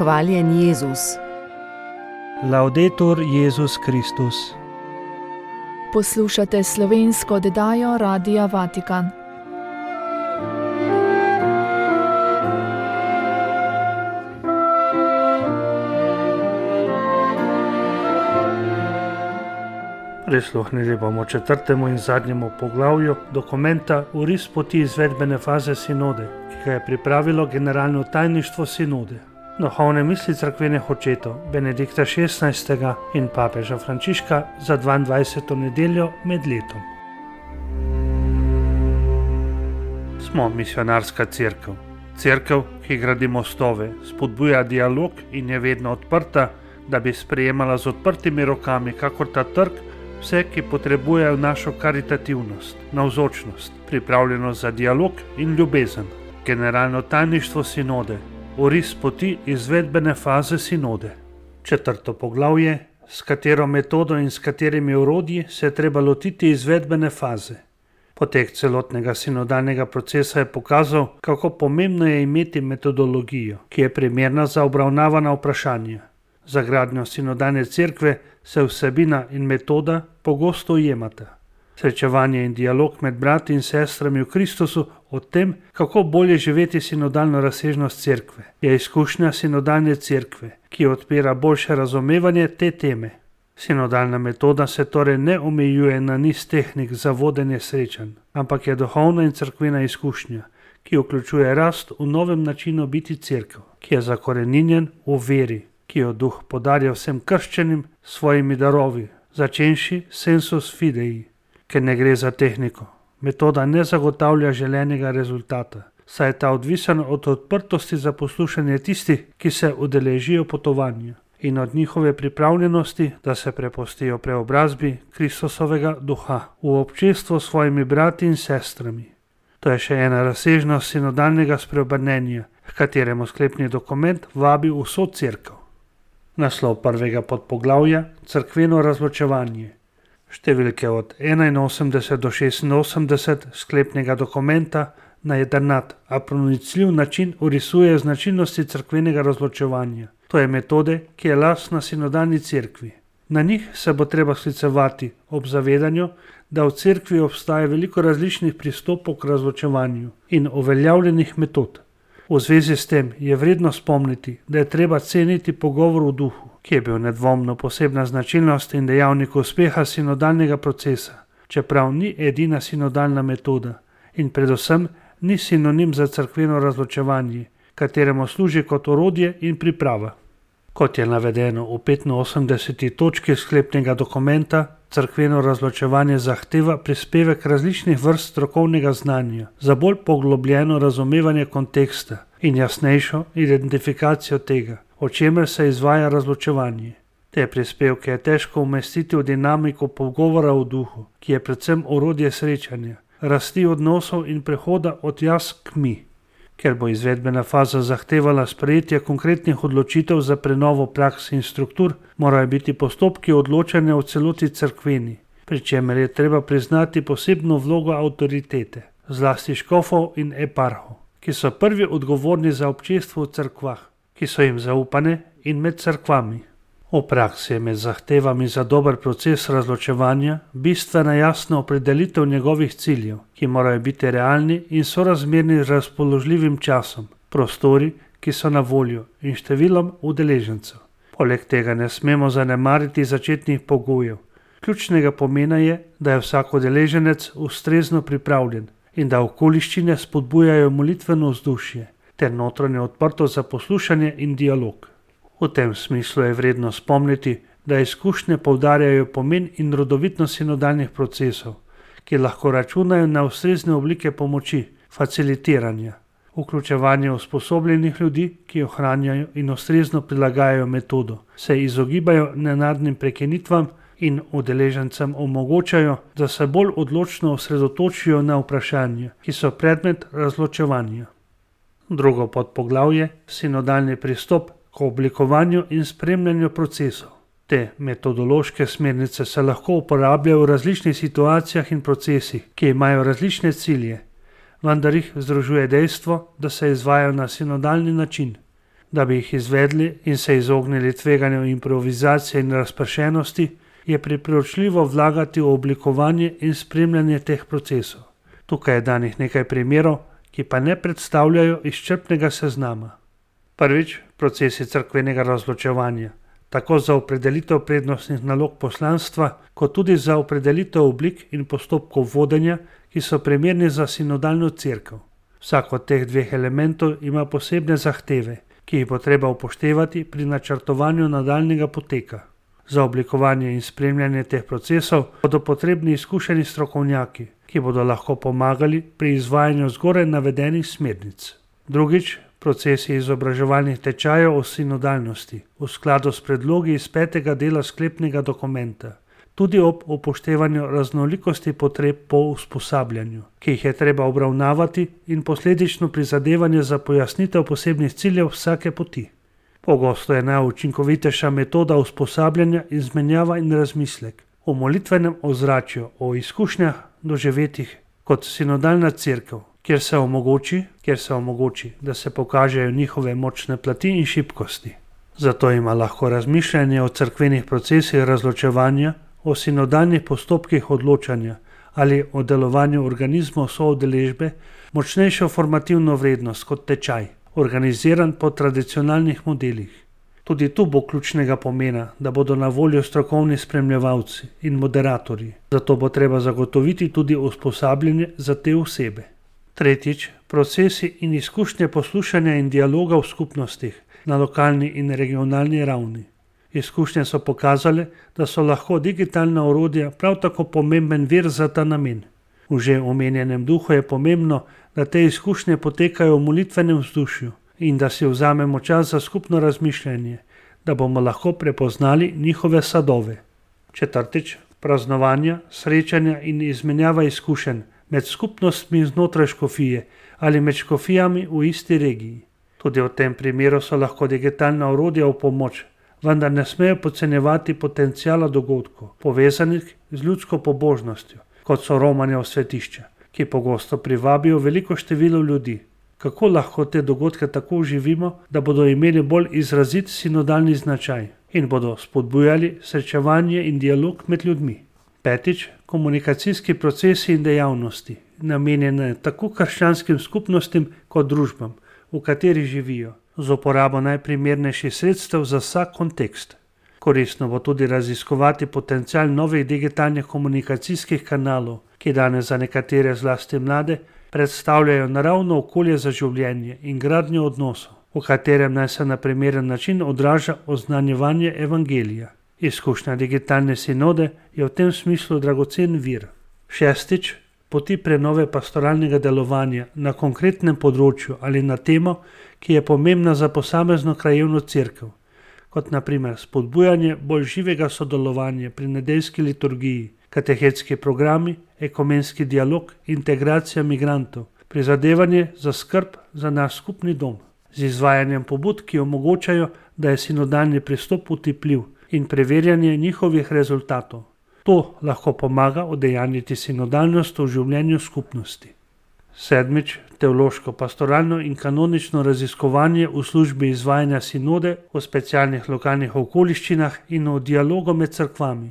Hvaljen Jezus. Laudetur Jezus Kristus. Poslušate slovensko oddajo Radia Vatikan. Prisluhnili bomo četrtemu in zadnjemu poglavju dokumenta Oris poti izvedbene faze sinode, ki ga je pripravilo generalno tajništvo sinode. Duhovne misli cerkvenih očetov Benedikta XVI. In papeža Frančiška za 22. nedeljo med letom. Smo misionarska cerkev. Cerkev, ki gradi mostove, spodbuja dialog in je vedno odprta, da bi sprejemala z odprtimi rokami, kakor ta trg, vse, ki potrebujejo našo karitativnost, navzočnost, pripravljenost za dialog in ljubezen. Generalno tajništvo sinode. Oris poti izvedbene faze sinode. Četrto poglavje, s katero metodo in s katerimi orodji se je treba lotiti izvedbene faze. Potek celotnega sinodalnega procesa je pokazal, kako pomembno je imeti metodologijo, ki je primerna za obravnavana vprašanja. Za gradnjo sinodalne cerkve se vsebina in metoda pogosto ujemata. Srečevanje in dialog med brati in sestrami v Kristusu o tem, kako bolje živeti sinodalno razsežnost cerkve, je izkušnja sinodalne cerkve, ki odpira boljše razumevanje te teme. Sinodalna metoda se torej ne omejuje na niz tehnik za vodenje srečanj, ampak je duhovna in cerkvena izkušnja, ki vključuje rast v novem načinu biti cerkev, ki je zakoreninjen v veri, ki jo Duh podarja vsem krščenim svojimi darovi, začenši sensus fidei, ker ne gre za tehniko. Metoda ne zagotavlja želenega rezultata, saj je ta odvisen od odprtosti za poslušanje tistih, ki se udeležijo potovanja, in od njihove pripravljenosti, da se prepustijo preobrazbi Kristusovega duha v občestvo s svojimi brati in sestrami. To je še ena razsežnost sinodalnega spreobrnenja, h kateremu sklepni dokument vabi vso cerkev. Naslov prvega podpoglavja, cerkveno razločevanje. Številke od 81 do 86 sklepnega dokumenta na jedrnat, a pronicljiv način orisuje značilnosti cerkvenega razločevanja. To je metode, ki je lastna sinodalni cerkvi. Na njih se bo treba sklicevati ob zavedanju, da v cerkvi obstaja veliko različnih pristopov k razločevanju in uveljavljenih metod. V zvezi s tem je vredno spomniti, da je treba ceniti pogovor v duhu, ki je bil nedvomno posebna značilnost in dejavnik uspeha sinodalnega procesa, čeprav ni edina sinodalna metoda in predvsem ni sinonim za cerkveno razločevanje, kateremu služi kot orodje in priprava. Kot je navedeno v 85. točki sklepnega dokumenta, cerkveno razločevanje zahteva prispevek različnih vrst strokovnega znanja za bolj poglobljeno razumevanje konteksta in jasnejšo identifikacijo tega, o čemer se izvaja razločevanje. Te prispevke je težko umestiti v dinamiko pogovora v duhu, ki je predvsem orodje srečanja, rasti odnosov in prehoda od jaz k mi. Ker bo izvedbena faza zahtevala sprejetje konkretnih odločitev za prenovo praks in struktur, morajo biti postopki odločanja v celoti cerkveni, pri čemer je treba priznati posebno vlogo avtoritete, zlasti škofov in eparhov, ki so prvi odgovorni za občestvo v cerkvah, ki so jim zaupane in med cerkvami. V praksi je med zahtevami za dober proces razločevanja bistvena jasna opredelitev njegovih ciljev, ki morajo biti realni in sorazmerni z razpoložljivim časom, prostori, ki so na voljo, in številom udeležencev. Poleg tega ne smemo zanemariti začetnih pogojev. Ključnega pomena je, da je vsak udeleženec ustrezno pripravljen in da okoliščine spodbujajo molitveno vzdušje ter notranjo odprtost za poslušanje in dialog. V tem smislu je vredno spomniti, da izkušnje poudarjajo pomen in rodovitnost sinodalnih procesov, ki lahko računajo na ustrezne oblike pomoči, facilitiranja, vključevanje usposobljenih ljudi, ki ohranjajo in ustrezno prilagajajo metodo, se izogibajo nenadnim prekinitvam in udeležencem omogočajo, da se bolj odločno osredotočijo na vprašanja, ki so predmet razločevanja. Drugo podpoglavje, sinodalni pristop k oblikovanju in spremljanju procesov. Te metodološke smernice se lahko uporabljajo v različnih situacijah in procesih, ki imajo različne cilje, vendar jih združuje dejstvo, da se izvajajo na sinodalni način. Da bi jih izvedli in se izognili tveganju improvizacije in razpršenosti, je priporočljivo vlagati v oblikovanje in spremljanje teh procesov. Tukaj je danih nekaj primerov, ki pa ne predstavljajo izčrpnega seznama. Prvič, procesi cerkvenega razločevanja, tako za opredelitev prednostnih nalog poslanstva, kot tudi za opredelitev oblik in postopkov vodenja, ki so primerni za sinodalno cerkev. Vsak od teh dveh elementov ima posebne zahteve, ki jih bo treba upoštevati pri načrtovanju nadaljnjega poteka. Za oblikovanje in spremljanje teh procesov bodo potrebni izkušeni strokovnjaki, ki bodo lahko pomagali pri izvajanju zgoraj navedenih smernic. Drugič, procesi izobraževalnih tečajev o sinodalnosti v skladu s predlogi iz 5. dela sklepnega dokumenta, tudi ob upoštevanju raznolikosti potreb po usposabljanju, ki jih je treba obravnavati, in posledično prizadevanje za pojasnitev posebnih ciljev vsake poti. Pogosto je najučinkovitejša metoda usposabljanja izmenjava in razmislek o molitvenem ozračju, o izkušnjah doživetih kot sinodalna cerkev, kjer se omogoči, da se pokažejo njihove močne plati in šibkosti. Zato ima lahko razmišljanje o cerkvenih procesih razločevanja, o sinodalnih postopkih odločanja ali o delovanju organizmov soudeležbe močnejšo formativno vrednost kot tečaj, organiziran po tradicionalnih modelih. Tudi tu bo ključnega pomena, da bodo na voljo strokovni spremljevalci in moderatorji. Zato bo treba zagotoviti tudi usposabljanje za te osebe. Tretjič, procesi in izkušnje poslušanja in dialoga v skupnostih na lokalni in regionalni ravni. Izkušnje so pokazale, da so lahko digitalna orodja prav tako pomemben vir za ta namen. V že omenjenem duhu je pomembno, da te izkušnje potekajo v molitvenem vzdušju in da si vzamemo čas za skupno razmišljanje, da bomo lahko prepoznali njihove sadove. Četrtič, praznovanja, srečanja in izmenjava izkušenj med skupnostmi znotraj škofije ali med škofijami v isti regiji. Tudi v tem primeru so lahko digitalna orodja v pomoč, vendar ne smejo podcenjevati potenciala dogodkov, povezanih z ljudsko pobožnostjo, kot so romanja v svetišča, ki pogosto privabijo veliko število ljudi. Kako lahko te dogodke tako oživimo, da bodo imeli bolj izrazit sinodalni značaj in bodo spodbujali srečevanje in dialog med ljudmi. Petič, komunikacijski procesi in dejavnosti, namenjene tako krščanskim skupnostim kot družbam, v kateri živijo, z uporabo najprimernejših sredstev za vsak kontekst. Koristno bo tudi raziskovati potencial novih digitalnih komunikacijskih kanalov, ki danes za nekatere, zlasti mlade, predstavljajo naravno okolje za življenje in gradnjo odnosov, v katerem naj se na primeren način odraža oznanjevanje evangelija. Izkušnja digitalne sinode je v tem smislu dragocen vir. Šestič, poti prenove pastoralnega delovanja na konkretnem področju ali na temo, ki je pomembna za posamezno krajevno cerkev, kot na primer spodbujanje bolj živega sodelovanja pri nedeljski liturgiji, katehetski programi, ekumenski dialog, integracija migrantov, prizadevanje za skrb za naš skupni dom, z izvajanjem pobud, ki omogočajo, da je sinodalni pristop utipljiv, in preverjanje njihovih rezultatov. To lahko pomaga udejanjiti sinodalnost v življenju skupnosti. Sedmič, teološko, pastoralno in kanonično raziskovanje v službi izvajanja sinode v specialnih lokalnih okoliščinah in v dialogu med cerkvami.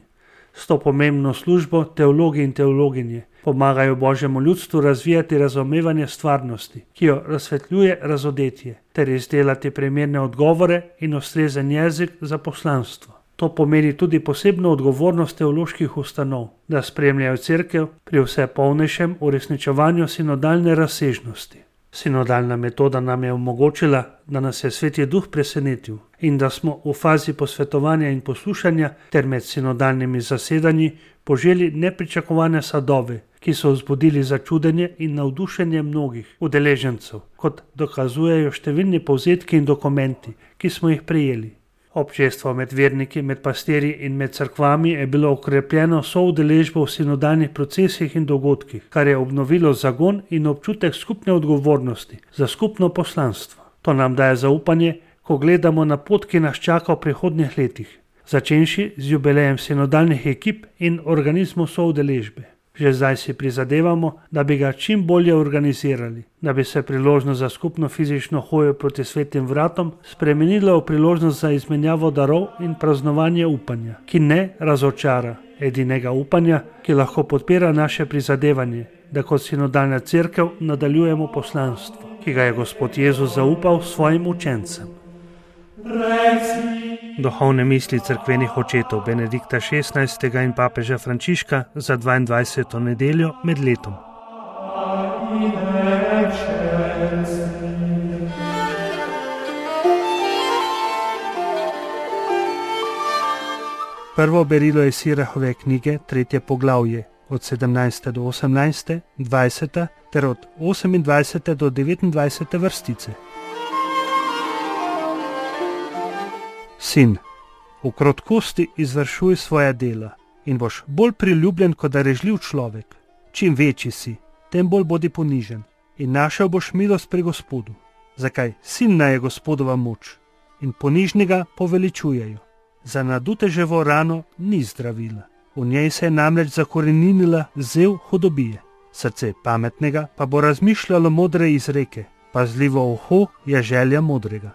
S to pomembno službo teologi in teologinje pomagajo Božjemu ljudstvu razvijati razumevanje stvarnosti, ki jo razsvetljuje razodetje, ter izdelati primerne odgovore in ustrezen jezik za poslanstvo. To pomeni tudi posebno odgovornost teoloških ustanov, da spremljajo cerkev pri vse polnejšem uresničevanju sinodalne razsežnosti. Sinodalna metoda nam je omogočila, da nas je Sveti Duh presenetil in da smo v fazi posvetovanja in poslušanja ter med sinodalnimi zasedanji poželi nepričakovane sadove, ki so vzbudili začudenje in navdušenje mnogih udeležencev, kot dokazujejo številni povzetki in dokumenti, ki smo jih prejeli. Občestvo med verniki, med pastirji in med cerkvami je bilo okrepljeno soudeležbo v sinodalnih procesih in dogodkih, kar je obnovilo zagon in občutek skupne odgovornosti za skupno poslanstvo. To nam daje zaupanje, ko gledamo na pot, ki nas čaka v prihodnjih letih, začenši z jubilejem sinodalnih ekip in organizmov soudeležbe. Že zdaj si prizadevamo, da bi ga čim bolje organizirali, da bi se priložnost za skupno fizično hojo proti svetim vratom spremenila v priložnost za izmenjavo darov in praznovanje upanja, ki ne razočara, edinega upanja, ki lahko podpira naše prizadevanje, da kot sinodalna cerkev nadaljujemo poslanstvo, ki ga je Gospod Jezus zaupal svojim učencem. Duhovne misli cerkvenih očetov Benedikta XVI. In papeža Frančiška za 22. nedeljo med letom. Prvo berilo iz Sirahove knjige, 3. poglavje, od 17. do 18., 20. ter od 28. do 29. vrstice. Sin, v krotkosti izvršuj svoja dela in boš bolj priljubljen kot darežljiv človek. Čim večji si, tem bolj bodi ponižen in našel boš milost pri Gospodu. Zakaj? Silna je Gospodova moč in ponižnega poveličujejo. Za naduteževo rano ni zdravila. V njej se je namreč zakoreninila zev hudobije. Srce pametnega pa bo razmišljalo modre izreke. Pazljivo uho je želja modrega.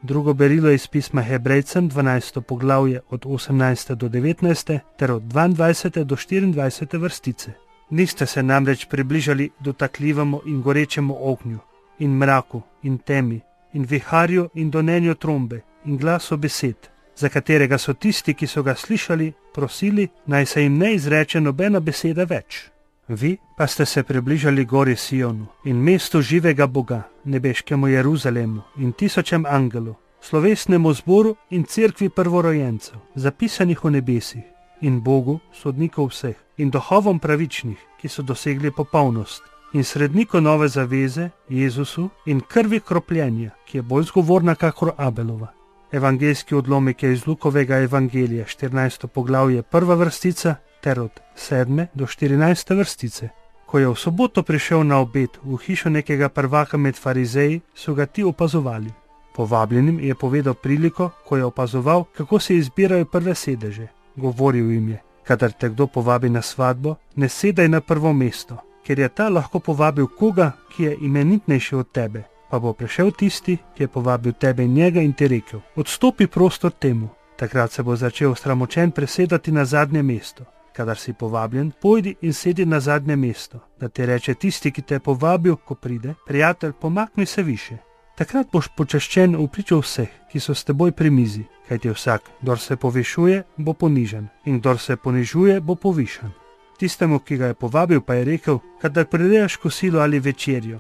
Drugo berilo iz pisma Hebrejcem, 12. poglavje od 18. do 19. ter od 22. do 24. vrstice. Niste se namreč približali dotakljivemu in gorečemu ognju, in mraku, in temi, in viharju, in donenju trombe, in glasu besed, za katerega so tisti, ki so ga slišali, prosili, naj se jim ne izreče nobena beseda več. Vi pa ste se približali gori Sionu in mestu živega Boga, nebeškemu Jeruzalemu in tisočem angelov, slovesnemu zboru in cerkvi prvorojencev, zapisanih v nebesih, in Bogu, sodnikov vseh, in duhovom pravičnih, ki so dosegli popolnost, in sredniku nove zaveze, Jezusu, in krvi kropljenja, ki je bolj zgovorna kakor Abelova. Evangeljski odlomek je iz Lukovega evangelija, 14. poglavje, 1. vrstica, ter od 7. do 14. vrstice. Ko je v soboto prišel na obed v hišo nekega prvaka med farizeji, so ga ti opazovali. Povabljenim je povedal priliko, ko je opazoval, kako se izbirajo prve sedeže. Govoril jim je: kadar te kdo povabi na svatbo, ne sedaj na prvo mesto, ker je ta lahko povabil koga, ki je imenitnejši od tebe. Pa bo prišel tisti, ki je povabil tebe in njega, in ti rekel: odstopi prostor temu. Takrat se bo začel sramočen presedati na zadnje mesto. Kadar si povabljen, pojdi in sedi na zadnje mesto, da ti reče tisti, ki te je povabil, ko pride: prijatelj, pomakni se više. Takrat boš počaščen v pričo vseh, ki so s teboj pri mizi, kajti vsak, kdor se povišuje, bo ponižan, in kdor se ponižuje, bo povišan. Tistemu, ki ga je povabil, pa je rekel: kadar prireješ kosilo ali večerjo,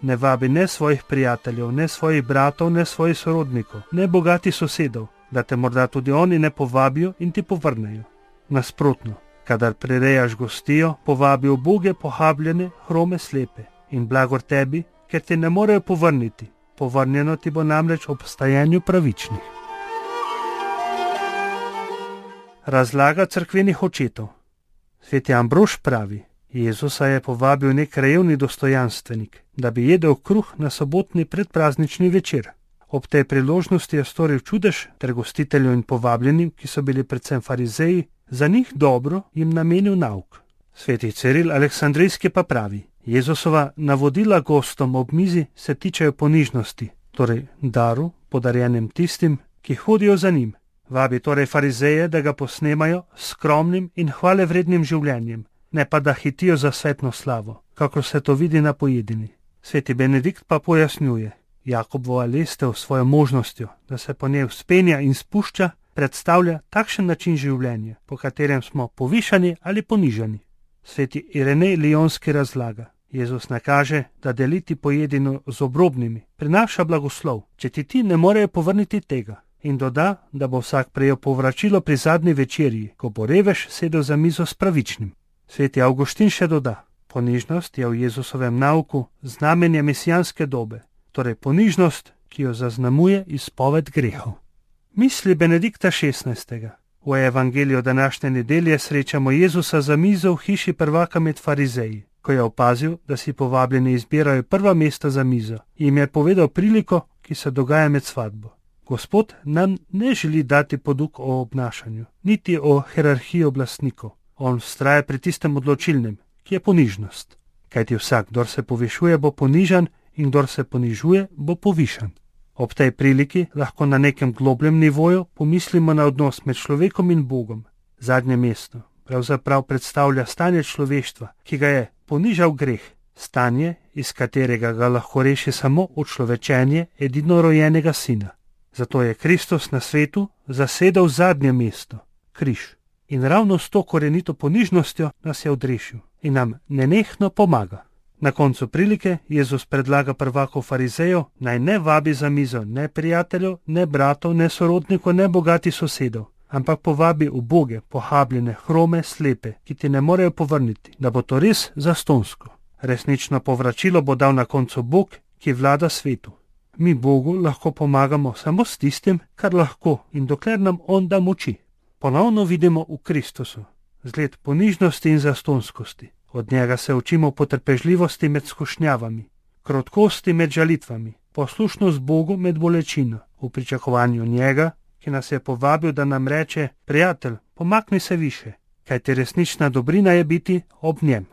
ne vabi ne svojih prijateljev, ne svojih bratov, ne svojih sorodnikov, ne bogati sosedov, da te morda tudi oni ne povabijo in ti povrnejo. Nasprotno, kadar prirejaš gostijo, povabi uboge, pohabljene, hrome, slepe, in blagor tebi, ker te ne morejo povrniti. Povrnjeno ti bo namreč ob stajanju pravičnih. Razlaga cerkvenih očetov. Sveti Ambrož pravi: Jezusa je povabil nek krajevni dostojanstvenik, da bi jedel kruh na sobotni predpraznični večer. Ob tej priložnosti je storil čudež ter gostitelju in povabljenim, ki so bili predvsem farizeji, za njih dobro jim namenil nauk. Sveti Ciril Aleksandrijski pa pravi: Jezusova navodila gostom ob mizi se tičejo ponižnosti, torej daru, podarjenem tistim, ki hodijo za njim. Vabi torej farizeje, da ga posnemajo s skromnim in hvalevrednim življenjem, ne pa da hitijo za svetno slavo, kakor se to vidi na pojedini. Sveti Benedikt pa pojasnjuje: Jakobova lestev s svojo možnostjo, da se po njej vzpenja in spušča, predstavlja takšen način življenja, po katerem smo povišani ali ponižani. Sveti Irenej Lijonski razlaga: Jezus nakaže, da deliti pojedino z obrobnimi prinaša blagoslov, če ti ne morejo povrniti tega, in doda, da bo vsak prejel povračilo pri zadnji večerji, ko bo revež sedel za mizo s pravičnim. Sveti Avguštin še doda: ponižnost je v Jezusovem nauku znamenje mesijanske dobe, torej ponižnost, ki jo zaznamuje izpoved grehov. Misli Benedikta XVI. V evangeliju današnje nedelje srečamo Jezusa za mizo v hiši prvaka med farizeji. Ko je opazil, da si povabljeni izbirajo prva mesta za mizo, jim je povedal priliko, ki se dogaja med svatbo. Gospod nam ne želi dati poduk o obnašanju, niti o hierarhiji oblastnikov. On vztraja pri tistem odločilnem, ki je ponižnost. Kajti vsak, kdor se povišuje, bo ponižan in kdor se ponižuje, bo povišan. Ob tej priliki lahko na nekem globljem nivoju pomislimo na odnos med človekom in Bogom. Zadnje mesto pravzaprav predstavlja stanje človeštva, ki ga je ponižal greh, stanje, iz katerega ga lahko reši samo učlovečenje edinorojenega sina. Zato je Kristus na svetu zasedel zadnje mesto, križ. In ravno s to korenito ponižnostjo nas je odrešil in nam nenehno pomaga. Na koncu prilike Jezus predlaga prvaku farizejev, naj ne vabi za mizo ne prijateljev, ne bratov, ne sorodnikov, ne bogati sosedov, ampak povabi uboge, pohabljene, hrome, slepe, ki ti ne morejo povrniti, da bo to res zastonjsko. Resnično povračilo bo dal na koncu Bog, ki vlada svetu. Mi Bogu lahko pomagamo samo s tistim, kar lahko in dokler nam On da moči. Ponovno vidimo v Kristusu zgled ponižnosti in zastonjskosti. Od njega se učimo potrpežljivosti med skušnjavami, krotkosti med žalitvami, poslušnost Bogu med bolečino, v pričakovanju njega, ki nas je povabil, da nam reče: prijatelj, pomakni se više, kajti resnična dobrina je biti ob njem.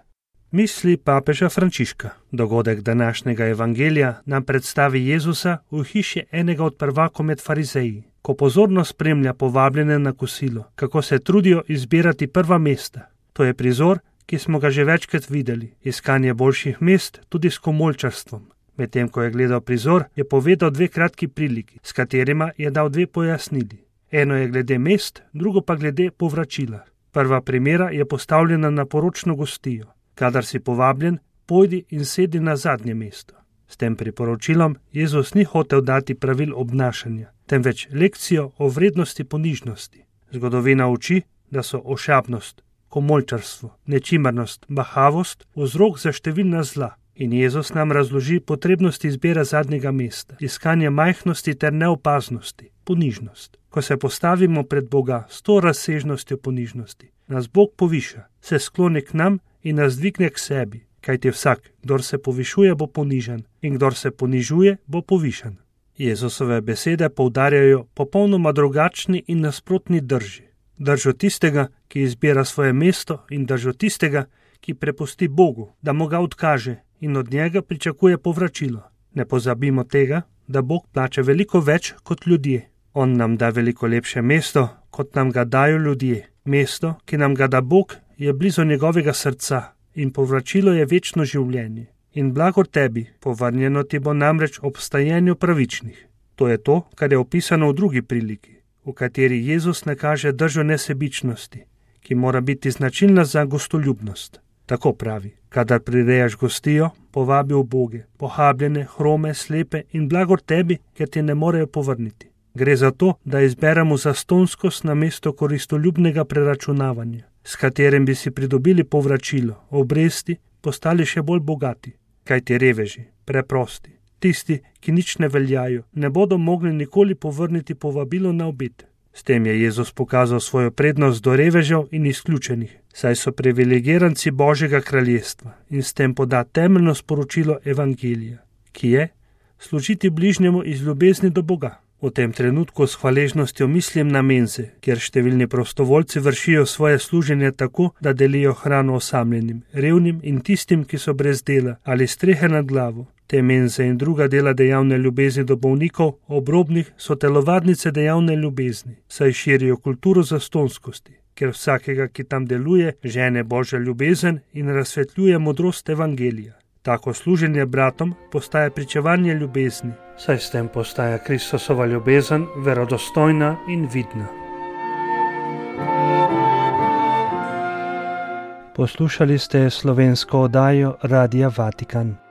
Misli papeža Frančiška. Dogodek današnjega evangelija nam predstavi Jezusa v hiši enega od prvakov med farizeji, ko pozorno spremlja povabljene na kosilo, kako se trudijo izbirati prva mesta. To je prizor, ki smo ga že večkrat videli, iskanje boljših mest tudi s komolčarstvom. Medtem ko je gledal prizor, je povedal dve kratki priliki, s katerima je dal dve pojasnili. Eno je glede mest, drugo pa glede povračila. Prva primera je postavljena na poročno gostijo. Kadar si povabljen, pojdi in sedi na zadnje mesto. S tem priporočilom Jezus ni hotel dati pravil obnašanja, temveč lekcijo o vrednosti ponižnosti. Zgodovina uči, da so ošabnost, komolčarstvo, nečimrnost, bahavost vzrok za številna zla. In Jezus nam razloži potrebnost izbire zadnjega mesta, iskanje majhnosti ter neopaznosti, ponižnost. Ko se postavimo pred Boga s to razsežnostjo ponižnosti, nas Bog poviša, se skloni k nam in nas dvigne k sebi, kajti vsak, kdor se povišuje, bo ponižan in kdor se ponižuje, bo povišan. Jezusove besede poudarjajo popolnoma drugačni in nasprotni drži. Držo tistega, ki izbira svoje mesto, in držo tistega, ki prepusti Bogu, da mu ga odkaže in od njega pričakuje povračilo. Ne pozabimo tega, da Bog plača veliko več kot ljudje. On nam da veliko lepše mesto, kot nam ga dajo ljudje. Mesto, ki nam ga da Bog, je blizu njegovega srca in povračilo je večno življenje. In blagor tebi, povrnjeno ti bo namreč ob stajenju pravičnih. To je to, kar je opisano v drugi priliki, v kateri Jezus nakaže držo nesebičnosti, ki mora biti značilna za gostoljubnost. Tako pravi: kadar prirejaš gostijo, povabi uboge, pohabljene, hrome, slepe in blagor tebi, ker ti ne morejo povrniti. Gre za to, da izberemo zastonjskost namesto koristoljubnega preračunavanja, s katerim bi si pridobili povračilo, obresti, postali še bolj bogati. Kajti reveži, preprosti, tisti, ki nič ne veljajo, ne bodo mogli nikoli povrniti povabilo na obed. S tem je Jezus pokazal svojo prednost do revežev in izključenih, saj so privilegiranci Božjega kraljestva, in s tem poda temeljno sporočilo evangelija, ki je služiti bližnjemu iz ljubezni do Boga. V tem trenutku s hvaležnostjo mislim na menze, kjer številni prostovoljci vršijo svoje služenje tako, da delijo hrano osamljenim, revnim in tistim, ki so brez dela ali strehe nad glavo. Te menze in druga dela dejavne ljubezni do bolnikov, obrobnih, so telovadnice dejavne ljubezni, saj širijo kulturo zastonjskosti, ker vsakega, ki tam deluje, žene Božja ljubezen in razsvetljuje modrost evangelija. Tako služenje bratom postaja pričevanje ljubezni, saj s tem postaja Kristusova ljubezen verodostojna in vidna. Poslušali ste slovensko oddajo Radia Vatikan.